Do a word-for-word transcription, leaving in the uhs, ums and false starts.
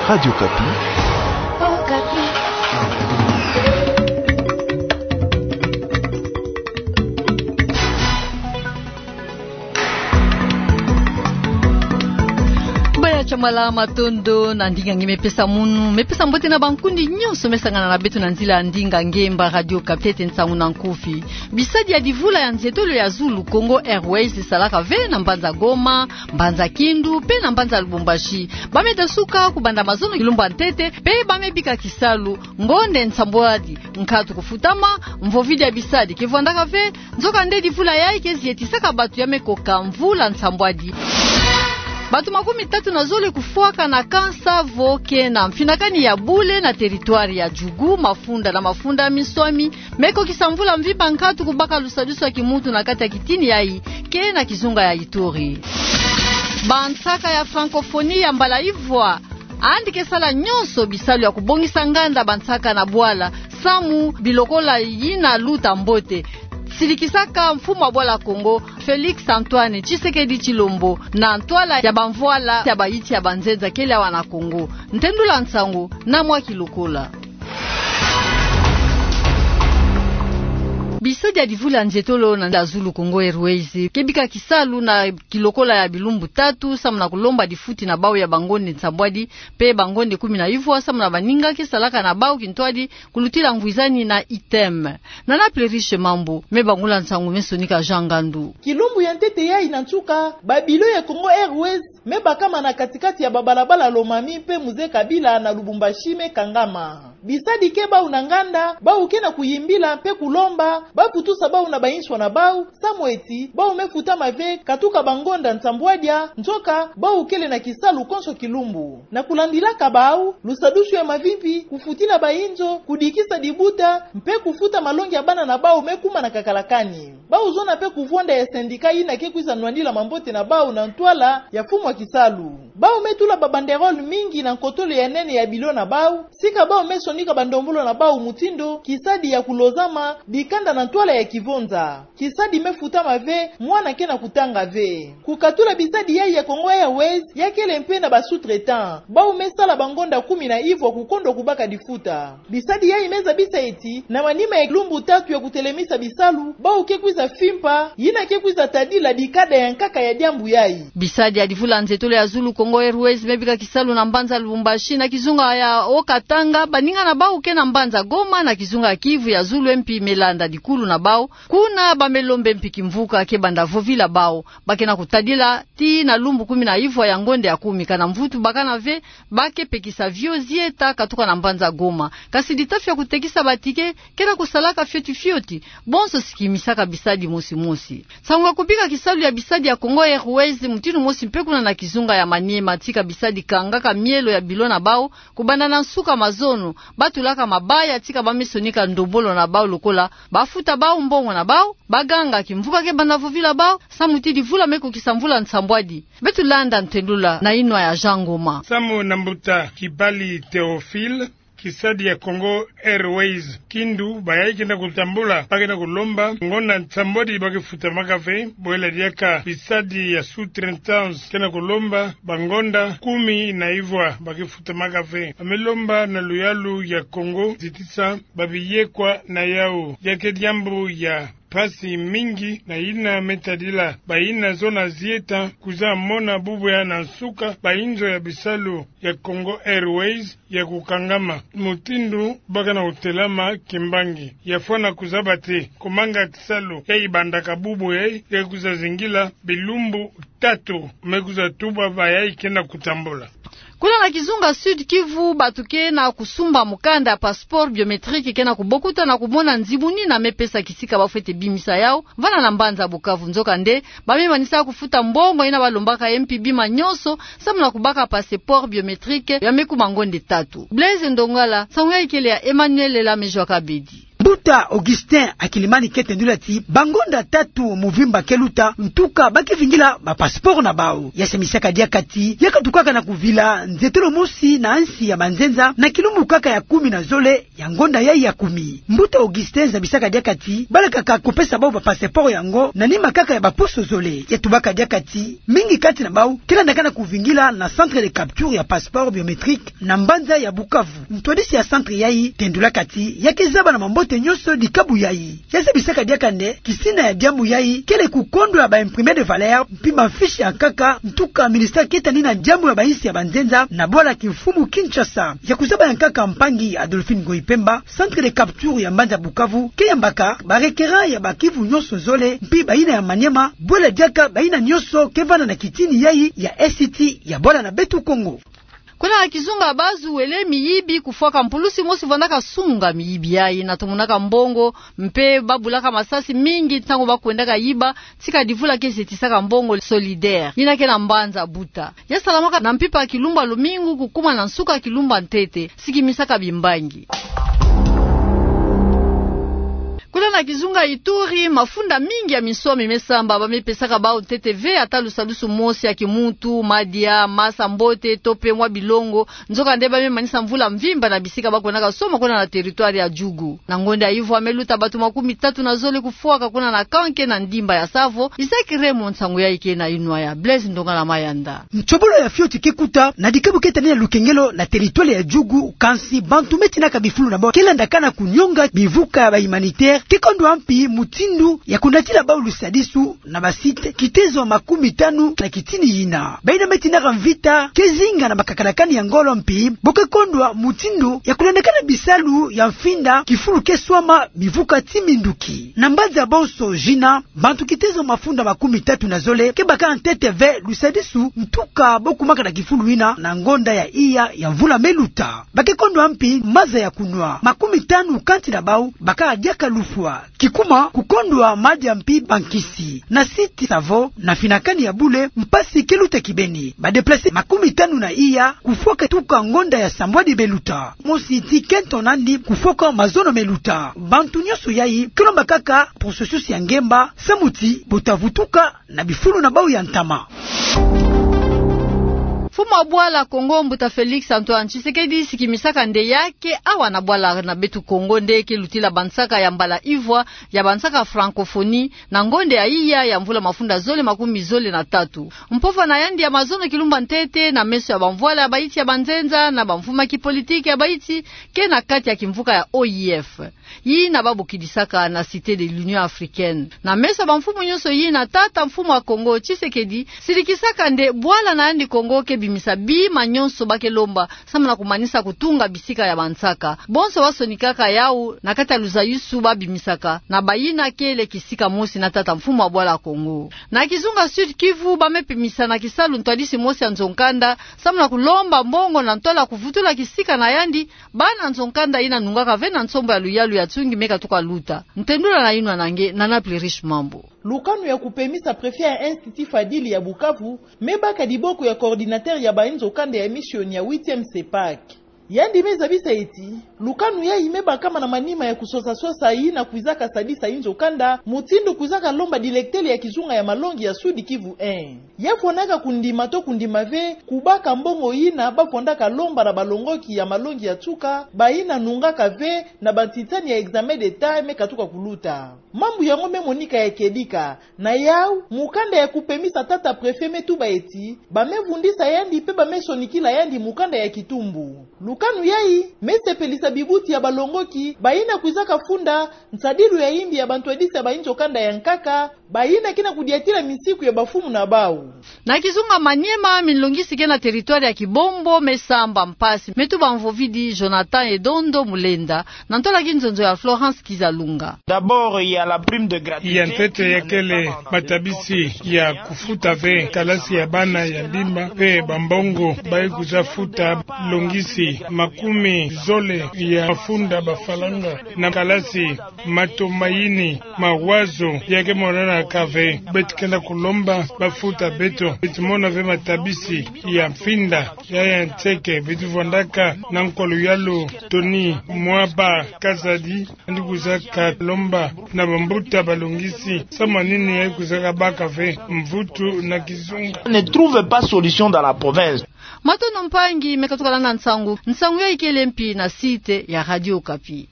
Radio Okapi. Baya Chamala, matondo na ndinga nge me pesa munu, me pesa mbote na bankundi nyonso me sangana na beto na nzila ya ndinga nge mba Radio Okapi. Ntete nsangu na nkufi. Bisadi ya divula ya nzietolo ya Zulu Congo Airways esalaka ve na mbanza Goma, mbanza Kindu, pe na mbanza Lubumbashi. Ba me tasuka kubanda mazono kilumbu ya ntete, pe ba me bika kisalu ngonde nsambwadi. Nkatu kufutama, mvovidi ya bisadi ke vwandaka ve, nzoka nde divula yayi ke zietisaka batu ya me koka mvula nsambwadi. Batu makumi tatu na zole kufwaka na kansa vo ke na mfinakani ya bule na territoire ya Djugu, mafunda na mafunda minswami me kokisa mvula mvimba nkatu kubaka lusadusu ya kimuntu na kati ya kitini yayi ke na kizunga ya Ituri. Bansaka ya francophonie ya mbala ivwa yandi ke sala nyonso bisalu ya kubongisa nganda bansaka na bwala, samu bilokola yina luta mbote. Silikisaka mfumu wa bwala Congo, Félix Antoine Tshisekedi Tshilombo, na ntwala ya bamvwala ya bayiti ya banzenza kele awa na Congo. Ntendula nsangu na mwa kilokola. Bisadi ya divula nzietolo na ya Zulu Congo Airways ke bika kisalu na kilokola ya bilumbu tatu, samu na kulomba difuti na bau ya bangonde nsambwadi, pe bangonde kumi na ivwa, samu na baninga ke salaka na bau kintwadi kulutila ngwizani na item. Nana Pleriche Mambu, me bangula nsangu me sonika Jean Ngandu. Kilumbu ya ntete yayi na nsuka, ba bilo ya Congo Airways me bakama na kati-kati ya babalabala Lomami pe Mzee Kabila na Lubumbashi me kangama. Bisadi ke bau na nganda, bau ke na kuyimbila pe kulomba ba putusa bau na bainswa na bau, samu eti bau me futama ve katuka bangonda nsambwadia, nzoka bau kele na kisalu konso kilumbu. Na kulandilaka bau, lusadusu ya mavimpi, kufutila bainzo, kudikisa dibuta, mpe kufuta malongi ya bana na bau me kuma na kakalakani. Bau zona pe kuvwanda ya syndicat yina ke kwiza nwanila mambote na bau na ntwala ya mfumu wa kisalu. Bau me tula ba banderole mingi na nkotolo ya nene ya bilo na bau, sika bau me sonika bandombolo na bau mutindu kisadi ya kulozama dikanda na ntwala ya kivonza. Kisadi me futama ve, mwana ke na kutanga ve. Kukatula bisadi yayi ya Congo Airways, ya kele mpe na ba sous-traitants. Bau me sala bangonda kumi na ivwa kukondwa kubaka difuta. Bisadi yayi me zabisa eti, na manima ya lumbu tatu ya kutelemisa bisalu, bau ke kwiza fimpa yina ke kwiza tadila dikanda ya nkaka ya diambu yayi. Bisadi ya divula nzietolo ya Zulu Congo Airways me bika kisalu na mbanza Lubumbashi na kizunga ya Haut-Katanga, baninga na bau ke na mbanza Goma na kizunga ya Kivu ya Zulu, mpi me landa dikulu na bau. Kuna ba me lombe mpi kimvuka ke banda vovila bau. Ba ke na kutadila tii na lumbu kumi na ivwa ya ngonde ya kumi, kana mvutu bakana ve, ba ke pekisa vio zieta katuka na mbanza Goma. Kasi ditafi ya kutekisa ba ticket ke na kusalaka fioti fioti, bonso sikimisaka bisadi mosi mosi. Nsangu ya kubika kisalu ya bisadi ya Congo Airways mutindu mosi mpe kuna na kizunga ya Maniema, tika bisadi kangaka mielo ya bilo na bau, kubanda na nsuka mazono, ba tulaka mabaya tika ba me sonika ndombolo na bau lokola ba futa bau mbongo na bau, ba ganga kimvuka ke banda vovila bau, samu ti divula me kukisa mvula nsambwadi. Beto landa ntendula na inwa ya Jean Ngoma. Samu na mbuta Kibali Théophile, kisadi ya Congo Airways Kindu, bayayi ke na kutambula, ba ke na kulomba ngonda nsambwadi ba ke futamaka ve, bwela diaka bisadi ya sous-traitance ke na kulomba bangonda kumi na ivwa ba ke futamaka ve. Ba me lomba na luyalu ya Congo zitisa babiyekwa na yau. Ya ke diambu ya mpasi mingi na yina me tadila bayina zona zieta kwiza mona bubu ya na nsuka bainzo ya bisalu ya Congo Airways ya kukangama, mutindu ba ke na kutelama kimbangi. Ya fwana kuzaba ti kumanga kisalu yayi bandaka bubu yayi, ya kwiza zingila bilumbu tatu, me kwiza tuba bayayi ke na kutambula. Kuna na kizunga Sud-Kivu, batu ke na kusumba mukanda ya passeport biométrique ke na kubokuta na kumona nzimuni yina me pesa kisika ba fwete bimisa yau, vana na mbanza Bukavu. Nzoka nde, ba me manisa kufuta mbongo yina ba lombaka mpi bima nyonso, samu na kubaka passeport biométrique ya me kuma ngonde tatu. Blaise Ndongala, nsangu yayi kele ya Emmanuel Lamejwa Kabedi. Mbuta Augustin Akilimani ke tendula ti bangonda tatu muvimba ke luta, ntuka ba ke vingila ba passeport na bau. Ya samisaka diaka ti ya katukaka na kuvila nzetolo mosi na nsi ya banzenza na kilumbu kaka ya kumi na zole ya ngonda yayi ya kumi. Mbuta Augustin zabisaka diaka ti balakaka kupesa bau ba passeport yango na nima kaka ya baposo zole. Ya tubaka diaka ti mingi kati na bau ke landaka na kuvingila na centre de capture ya passeport biométrique na mbanza ya Bukavu. Ntwadisi ya centre yayi tendulaka ti ya ke zaba na mambote nyonso dikabu yayi. Ya zabisaka diaka nde kisina ya diambu yayi kele kukondwa ba imprimé de valeur mpi ba fiche ya nkaka, ntuka ministère ke tani na diambu ya bainsi ya banzenza na bwala kimfumu Kinshasa. Ya kuzaba ya nkaka mpangi Adolphine Ngoyi Pemba, centre de capture ya mbanza Bukavu ke yambaka ba requérant ya ba Kivu nyonso zole mpi bayina ya Maniema, bwela diaka bayina nyonso ke vanda na kitini yayi ya Est ya bwala na beto Kongo. Kuna na kizunga Bazuwele, miyibi kufwaka mpulusi mosi vandaka sunga miyibi yayi na tomonaka mbongo, mpe ba bulaka masasi mingi ntangu ba kwendaka yiba, tika divula ke zetisaka mbongo Solidaire, yina ke na mbanza Buta. Ya salamaka na mpimpa ya kilumbu ya lumingu kukuma na nsuka ya kilumbu ya ntete, sikimisaka bimbangi. Kuna na kizunga Ituri, mafunda mingi ya minsomi me samba, ba me pesaka bau ntete ve ata lusadusu mosi ya kimuntu, madia, masa mbote, to mpe mwa bilongo. Nzoka nde ba me manisa mvula mvimba na bisika ba kwendaka somo kuna na territoire ya Djugu. Na ngonda ya ivwa me luta bato makumi tatu na zole kufwaka kuna na Kanke na ndimba ya Savo. Isaac Raymond, nsangu yayi ke na inwa ya Blaise Ndongala Mayanda. Nsobolo ya fioti ke kuta na dikabu ke tani na lukengelo na territoire ya Djugu, kansi bantu me tinaka bifulu na bau ke landaka na kunionga bivuka ya ba humanitaire, ke kondwa mpi mutindu ya kunatila bau lusadisu na ba site kitezo makumi tanu na kitini yina. Bayina me tinaka mvita ke zinga na makakalakani ya ngolo mpi bo ke kondwa mutindu ya kulandakana bisalu ya mfinda kifulu ke swama bivuka ti minduki. Na mbanza Bonso Jina, bantu kitezo mafunda makumi tatu na zole ke baka ntete ve lusadisu, ntuka bo kumaka na kifulu yina na ngonda ya iya ya mvula me luta. Ba ke kondwa mpi maza ya kunwa. Makumi tanu kati na bau baka diaka lufwa, kikuma kukondwa madia mpi bankisi. Na site Savo, na finakani ya bule, mpasi ke luta kibeni. Ba déplacés makumi tanu na iya kufwaka tuka ngonda ya sambwadi me luta. Mosi ti kento nandi kufwaka mazono me luta. Bantu nyonso yayi ke lomba kaka processus ya ngemba, samu ti bo ta vutuka na bifulu na bau ya ntama. Mfumu wa bwala Kongo, Mbuta Félix Antoine Tshisekedi, sikimisaka nde ya ke awa na bwala na beto Kongo nde ke lutila bansaka ya mbala ivwa ya bansaka francophonie, na ngonda ya iya ya mvula mafunda zole makumi zole na tatu. Mpova na yandi ya mazono kilumbu ya ntete na meso ya bamvwala ya baiti ya banzenza na bamfumu ya kipolitiki ya baiti ke na kati ya kimvuka ya O I F, yina ba bokidisaka na Cité de l'Union Africaine. Na meso ya bamfumu nyonso yina, tata mfumu wa Kongo Tshisekedi silikisaka nde bwala na yandi Kongo ke bimisa bima nyonso ba ke lomba, samu na kumanisa kutunga bisika ya bansaka. Bonso ba sonikaka yau na kati ya luzayisu ba bimisaka na bayina kele kisika mosi na tata mfumu wa bwala Kongo. Na kizunga Sud-Kivu, ba me pimisa na kisalu ntwadisi mosi ya nzo-nkanda, samu na kulomba mbongo na ntwala kuvutula kisika na yandi bana nzo-nkanda yina nungaka ve na nsombo ya luyalu ya Tsungi me katuka luta. Ntendula na inwa na nge, Nana Plurish Mambu. Lukanu ya kupemisa préfet ya Institut Fadili ya Bukavu me baka diboko ya coordinateur ya bayi nzo-kanda ya mission ya huitième CEPAC. Yandi me zabisa ti lukanu yayi me bakama na manima ya kusosa-sosa yina kwizaka sadisa yi nzo-kanda, mutindu kwizaka lomba dilektele ya kizunga ya malongi ya Sud-Kivu un. Ya fwanaka kundima to kundima ve kubaka mbongo yina ba fwandaka lomba na balongoki ya malongi ya nsuka, bayina nungaka ve na bantitani ya examen d'Etat me katuka kuluta. Mambu yango me monika ya kedika. Na yau, mukanda ya kupemisa tata préfet me tuba ti ba me vundisa yandi mpe ba me sonikila yandi mukanda ya kitumbu. Lukanu yayi me sepelisa bibuti ya balongoki, bayina kwizaka funda nsadilu ya yimbi ya bantwadisi ya bayi nzo-kanda ya nkaka, bayina ke na kudiatila misiku ya bamfumu na bau. Na kizunga Maniema, minlongisi ke na territoire ya Kibombo me samba mpasi, me tuba mvovidi Jonathan Edondo Mulenda, na ntwala kinzonzo ya Florence Kizalunga. D'abord, il y a la prime de gratuité. Ya ntete ya kele matabisi ya kufuta ve kalasi ya bana ya mbimba, mpe bambongo bayi kwiza futa longisi makumi zole ya mafunda bafalanga na kalasi, mato mayini, mawazo, ya ke monanaka ve. Beto kenda kulomba bafuta beto, beto mona ve matabisi ya mfinda, ya ya nseke, beto vandaka na nkolo yalu Tony Mwaba Kazadi, andi kuzaka lomba na bambuta balungisi, samu na nini ya kuzaka baka ve mvutu na kizunga. Ne trouve pas solution dans la province. Matondo mpangi me katukala na nsangu. Nsangu ya ikele mpi na site ya Radio Okapi.